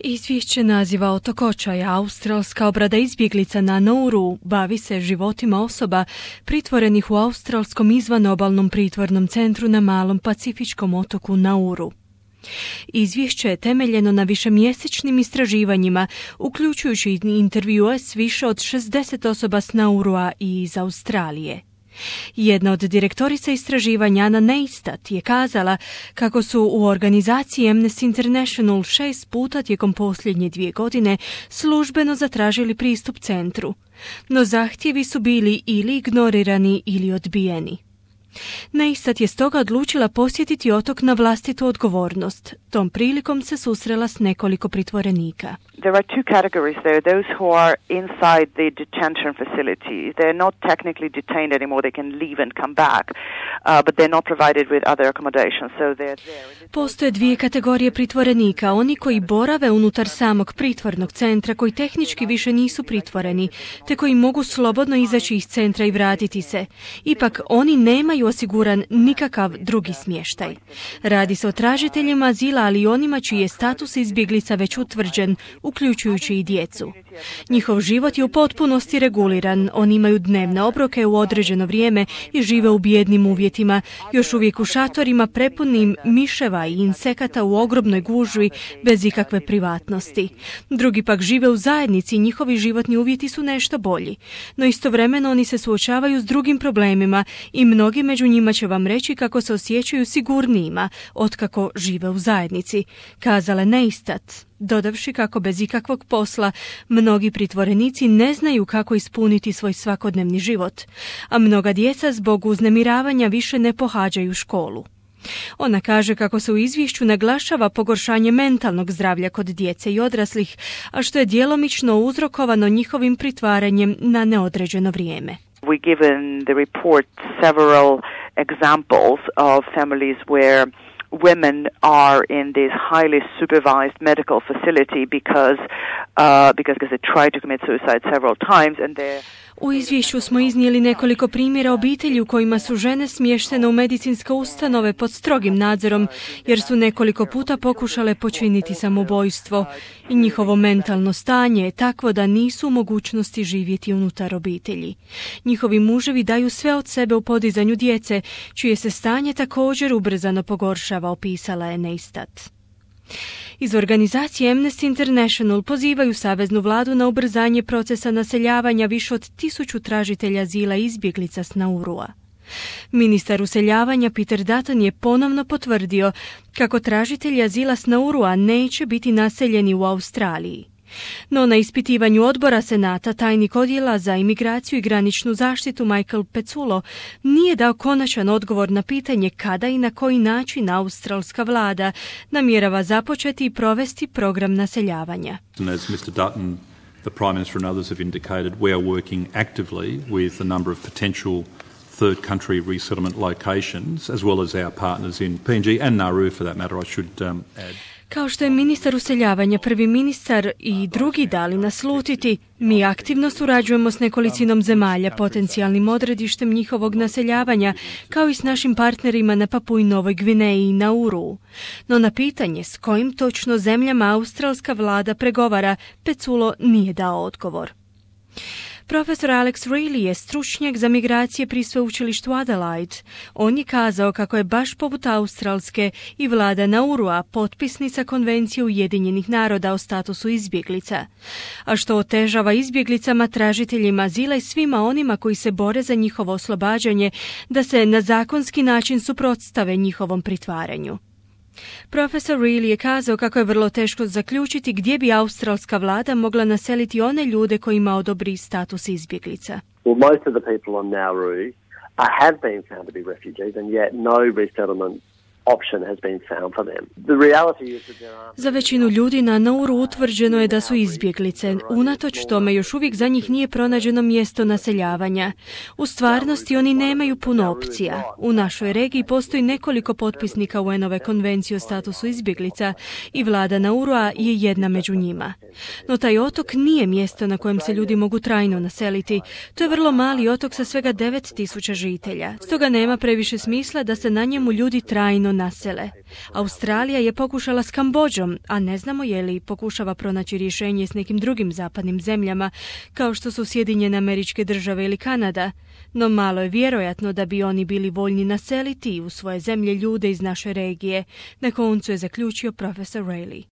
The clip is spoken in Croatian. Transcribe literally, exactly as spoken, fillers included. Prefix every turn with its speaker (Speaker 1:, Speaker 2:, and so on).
Speaker 1: Izvješće naziva Otok očaja, australska obrada izbjeglica na Nauru, bavi se životima osoba pritvorenih u australskom izvanobalnom pritvornom centru na malom pacifičkom otoku Nauru. Izvješće je temeljeno na višemjesečnim istraživanjima, uključujući intervjue s više od šezdeset osoba s Naurua i iz Australije. Jedna od direktorica istraživanja, Anna Neistat, je kazala kako su u organizaciji Amnesty International šest puta tijekom posljednje dvije godine službeno zatražili pristup centru, no zahtjevi su bili ili ignorirani ili odbijeni. Neistat je stoga odlučila posjetiti otok na vlastitu odgovornost. Tom prilikom se susrela s nekoliko pritvorenika.
Speaker 2: There are two categories there. Those who are inside the detention facility. They're not technically detained anymore. They can leave and come back. Uh, but they're not provided with other accommodations. So they're there.
Speaker 1: Postoje dvije kategorije pritvorenika. Oni koji borave unutar samog pritvornog centra, koji tehnički više nisu pritvoreni, te koji mogu slobodno izaći iz centra i vratiti se. Ipak oni nemaju osiguran nikakav drugi smještaj. Radi se o tražiteljima azila, ali i onima čiji je status izbjeglica već utvrđen, uključujući i djecu. Njihov život je u potpunosti reguliran, oni imaju dnevne obroke u određeno vrijeme i žive u bijednim uvjetima, još uvijek u šatorima prepunim miševa i insekata u ogromnoj gužvi bez ikakve privatnosti. Drugi pak žive u zajednici i njihovi životni uvjeti su nešto bolji, no istovremeno oni se suočavaju s drugim problemima i mnogi među njima će vam reći kako se osjećaju sigurnijima otkako žive u zajednici, kazala Neistat, dodavši kako bez ikakvog posla mnogi pritvorenici ne znaju kako ispuniti svoj svakodnevni život, a mnoga djeca zbog uznemiravanja više ne pohađaju školu. Ona kaže kako se u izvješću naglašava pogoršanje mentalnog zdravlja kod djece i odraslih, a što je djelomično uzrokovano njihovim pritvaranjem na neodređeno vrijeme.
Speaker 2: We give in the report several examples of families where women are in this highly supervised medical facility because uh, because because they tried to commit suicide several times and they.
Speaker 1: U izvješću smo iznijeli nekoliko primjera obitelji u kojima su žene smještene u medicinske ustanove pod strogim nadzorom jer su nekoliko puta pokušale počiniti samoubojstvo i njihovo mentalno stanje je takvo da nisu u mogućnosti živjeti unutar obitelji. Njihovi muževi daju sve od sebe u podizanju djece, čije se stanje također ubrzano pogoršava, opisala je Neistat. Iz organizacije Amnesty International pozivaju saveznu vladu na ubrzanje procesa naseljavanja više od tisuću tražitelja azila i izbjeglica s Naurua. Ministar useljavanja Peter Dutton je ponovno potvrdio kako tražitelji azila s Naurua neće biti naseljeni u Australiji. No na ispitivanju odbora Senata tajnik odjela za imigraciju i graničnu zaštitu Michael Pezzullo nije dao konačan odgovor na pitanje kada i na koji način australska vlada namjerava započeti i provesti program naseljavanja.
Speaker 3: As mister Dutton, the Prime Minister and others have indicated, we are working actively with a number of potential third country resettlement locations as well as our partners in P N G and Nauru for that matter, I should um, add.
Speaker 1: Kao što je ministar useljavanja, prvi ministar i drugi dali naslutiti, mi aktivno surađujemo s nekolicinom zemalja, potencijalnim odredištem njihovog naseljavanja, kao i s našim partnerima na Papui Novoj Gvineji i Nauru. No na pitanje s kojim točno zemljama australska vlada pregovara, Pezzullo nije dao odgovor. Profesor Alex Reilly je stručnjak za migracije pri sveučilištu Adelaide. On je kazao kako je baš poput Australske i vlada Naurua potpisnica Konvencije Ujedinjenih naroda o statusu izbjeglica, a što otežava izbjeglicama, tražiteljima azila i svima onima koji se bore za njihovo oslobađanje da se na zakonski način suprotstave njihovom pritvaranju. Profesor Reilly je kazao kako je vrlo teško zaključiti gdje bi australska vlada mogla naseliti one ljude kojima odobri status izbjeglica.
Speaker 4: Well, most of the people on Nauru uh, have been found to be refugees and yet no resettlement option has been found for them. The reality is that there are...
Speaker 1: Za većinu ljudi na Nauru utvrđeno je da su izbjeglice. Unatoč tome još uvijek za njih nije pronađeno mjesto naseljavanja. U stvarnosti oni nemaju puno opcija. U našoj regiji postoji nekoliko potpisnika U N-ove konvencije o statusu izbjeglica i vlada Naurua je jedna među njima. No taj otok nije mjesto na kojem se ljudi mogu trajno naseliti. To je vrlo mali otok sa svega devet tisuća žitelja. Stoga nema previše smisla da se na njemu ljudi trajno nasele. Australija je pokušala s Kambodžom, a ne znamo je li pokušava pronaći rješenje s nekim drugim zapadnim zemljama, kao što su Sjedinjene Američke Države ili Kanada, no malo je vjerojatno da bi oni bili voljni naseliti u svoje zemlje ljude iz naše regije, na koncu je zaključio profesor Rayleigh.